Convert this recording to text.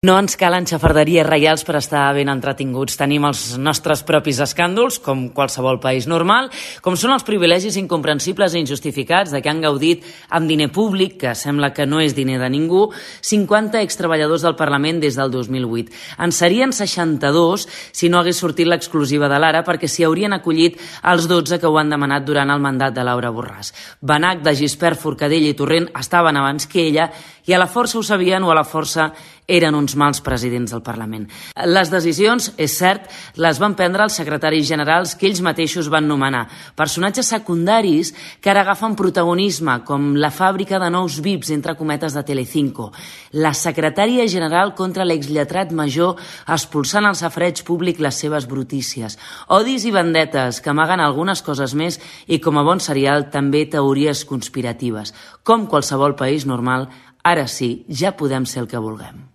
No ens calen xafarderies reials per estar ben entretinguts. Tenim els nostres propis escàndols, com qualsevol país normal, com són els privilegis incomprensibles i injustificats de què han gaudit amb diner públic, que sembla que no és diner de ningú, 50 extreballadors del Parlament des del 2008. En serien 62 si no hagués sortit l'exclusiva de l'Ara, perquè s'hi haurien acollit els 12 que ho han demanat durant el mandat de Laura Borràs. Benach, de Gispert, Forcadell i Torrent estaven abans que ella i a la força ho sabien o a la força eren uns mals presidents del Parlament. Les decisions, és cert, les van prendre els secretaris generals que ells mateixos van nomenar, personatges secundaris que ara agafen protagonisme, com la fàbrica de nous VIPs, entre cometes, de Telecinco, la secretària general contra l'exlletrat major expulsant al safareig públic les seves brutícies, odis i vendetes que amaguen algunes coses més i, com a bon serial, també teories conspiratives. Com qualsevol país normal, ara sí, ja podem ser el que vulguem.